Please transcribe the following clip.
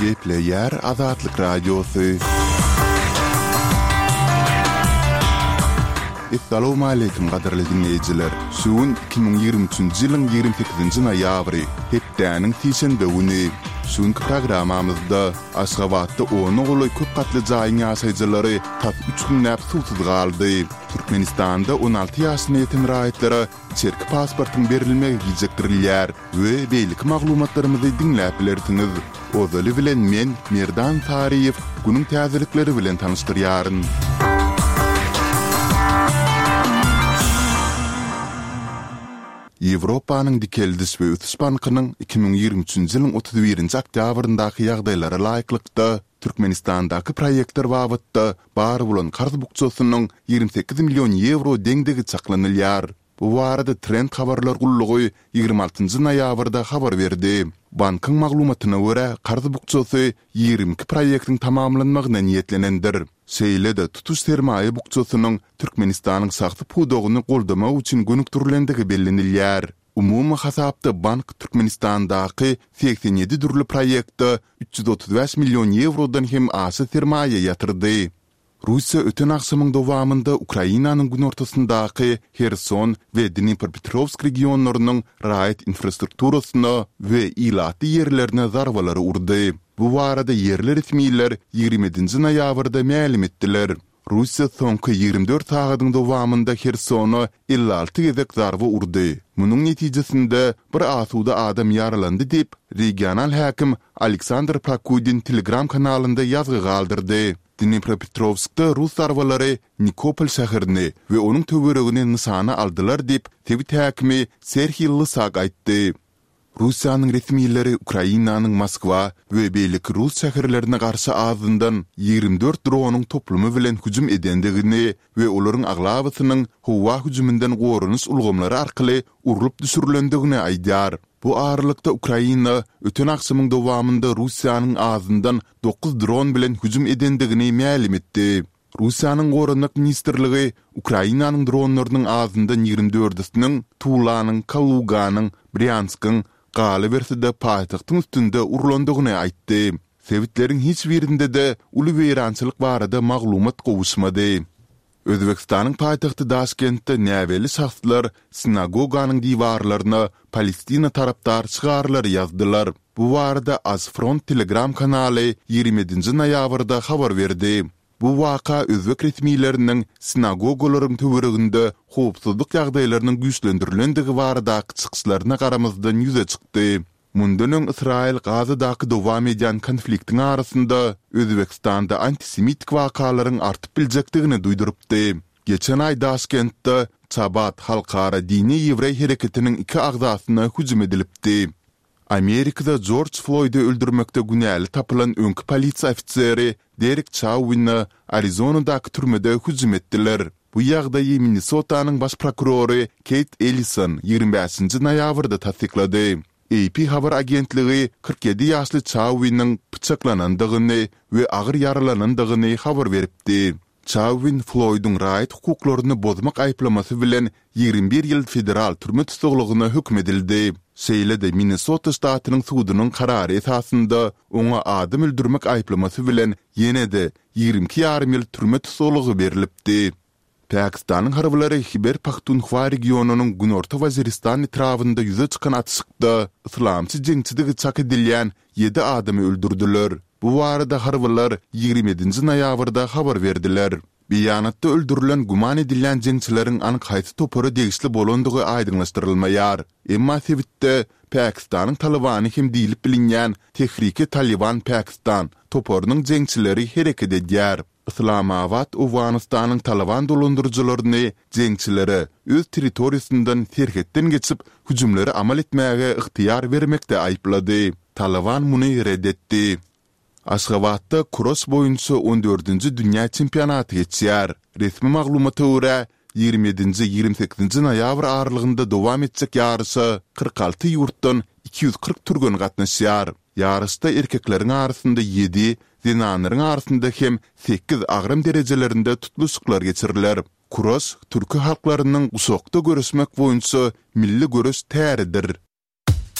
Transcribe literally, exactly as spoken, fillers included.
Gepleýär Azatlyk Radiosy. Essalawmaleýkim gadyrly diňleýjiler! Şu gün iki müň ýigrimi üçünji ýylyň ýigrimi sekizinji noýabry, hepdäniň sişenbe güni. Şu günki programmamyzda Aşgabatda ona golaý köp gatly jaýyň ýaşaýjylary tas üç günläp suwsuz galdy. Türkmenistanda on alty ýaşyna ýeten raýatlara içerki pasportyň berilmegi gijikdirilýär we beýleki maglumatlarymyzy diňläp bilersiňiz. Ozaly bilen men, Merdan Saryýew, günüň täzelikleri bilen tanyşdyrýaryn. Ýewropanyň Dikeldiş we ösüş bankynyň iki müň ýigrimi üçünji ýylyň otuz birinji oktýabryndaky ýagdaýlara laýyklykda, Türkmenistandaky proýektler babatda bar bolan karz bukjasynyň ýigrimi sekiz million ýewro deňdigi çaklanylýar. Bu barada Trend habarlar gullugy ýigrimi altynjy noýabrda habar berdi. Bankyň maglumatyna görä, karz bukjasy ýigrimi iki proýektiň tamamlanmagyna niýetlenendir. Şeýle-de, tutuş sermaýa bukjasynyň Türkmenistanyň şahsy pudagyny goldamak üçin gönükdirilendigi bellenilýär. Umumy hasapda bank Türkmenistandaky segsen ýedi dürli proýektde üç ýüz otuz bäş million ýewrodan hem aşa sermaýa ýatyrdy. Russiýa öten agşamyň dowamynda Ukrainanyň günortasyndaky Herson we Dnipropetrowsk regionlarynyň raýat infrastrukturasyna we ilatly ýerlerine zarbalary urdy. Bu barada ýerli resmiler ýigrimi ýedinji noýabrda mälim etdiler. Russiýa soňky ýigrimi dört sagadyň dowamynda Hersona elli alty gezek zarba urdy. Munuň netijesinde bir asuda adam ýaralandy diýip, regional häkim Aleksandr Prokudin Telegram kanalynda ýazgy galdyrdy. Dnipropetrowskda rus zarbalary Nikopol şäherini we onuň töweregini nyşana aldylar diýip, sebit häkimi Serhiý Lysak aýtdy. Russiýanyň resmileri Ukrainanyň Moskwa we beýleki rus şäherlerine garşy azyndan ýigrimi dört dronyň toplumy bilen hüjüm edendigini we olaryň aglabasynyň howa hüjüminden goranyş ulgamlary arkaly urlup düşürilendigini aýdýar. Bu aralykda Ukraina öten agşamyň dowamynda Russiýanyň azyndan dokuz dron bilen hüjüm edendigini mälim etdi. Russiýanyň Goranmak ministrligi Ukrainanyň dronlarynyň azyndan ýigrimi dördüsiniň Tulanyň, Kaluganyň, Brýanskyň, galyberse-de paýtagtyň üstünde urlandygyny aýtdy. Sebitleriň hiç birinde-de uly weýrançylyk barada maglumat gowuşmady. Özbegistanyň paýtagty Daşkentde näbelli şahslar sinagoganyň diwarlaryna Palestina tarapdar şygarlary ýazdylar. Bu barada AzFront Telegram kanaly ýigrimi ýedinji noýabrda habar berdi. Bu waka özbek resmileriniň sinagogalaryň töwereginde howpsuzlyk ýagdaýlarynyň güýçlendirilendigi baradaky çykyşlaryna garamazdan ýüze çykdy. Mundan öň Ysraýyl Gazadaky dowam edýän konfliktiň arasynda Özbegistanda antisemitik wakalaryň artyp biljekdigini duýdurypdy. Geçen aý Daşkentde Çabat halkara dini ýewreý hereketiniň iki agzasyna hüjüm edilipdi. Amerikada Jorj Floýdy öldürmekde günäli tapylan öňki polisiýa ofiseri Derek Çauwine Arizonadaky türmede hüjüm etdiler. Bu ýagdaýy Minnesotanyň baş prokurory Keýt Ellison ýigrimi bäşinji noýabrda tassyklady. AP habar agentligi kyrk ýedi ýaşly Çauwiniň pyçaklanandygyny we agyr ýaralanandygyny habar beripdi. Çauwin Floýduň raýat hukuklaryny bozmak aýyplamasy bilen ýigrimi bir ýyl federal türme tussaglygyna höküm edildi. Şeýle-de Minnesota ştatynyň sudunyň karary esasynda oňa adam öldürmek aýyplamasy bilen ýene-de ýigrimi iki ýarym ýyl türme tussaglygy berlipdi. Pakistanyň harbylary Hiber-Pahtunhwa regionynyň Günorta Waziristan etrabynda ýüze çykan atyşykda yslamçy jeňçidigi çak edilýän ýedi adamy öldürdiler. Bu barada harbylar ýigrimi ýedinji noýabrda habar berdiler. Beýanatda öldürilen güman edilýän jeňçileriň anyk haýsy topara degişli bolandygy aýdyňlaşdyrylmaýar. Emma sebitde Pakistanyň Talybany hem diýlip bilinýän Tehrike-Talyban Pakistan toparynyň jeňçileri hereket edýär. Yslamabat Owganystanyň Talyban dolandyryjylaryny jeňçilere öz territoriýasyndan serhetden geçip hüjümleri amal etmäge ygtyýar bermekde aýyplady. Talyban muny ret etdi. Aşgabatda kuraş boýunça on dördünji dünýä çempionaty geçýär. Resmi maglumata görä, ýigrimi ýedinji, ýigrimi sekizinji noýabr aralygynda dowam etjek ýaryşa kyrk alty ýurtdan iki ýüz kyrk türgen gatnaşýar. Ýaryşda erkekleriň arasynda ýedi, zenanlaryň arasynda hem sekiz agram derejelerinde tutluşyklar geçiriler. Kuraş türki halklarynyň guşakda göreşmek boýunça milli göreş täridir.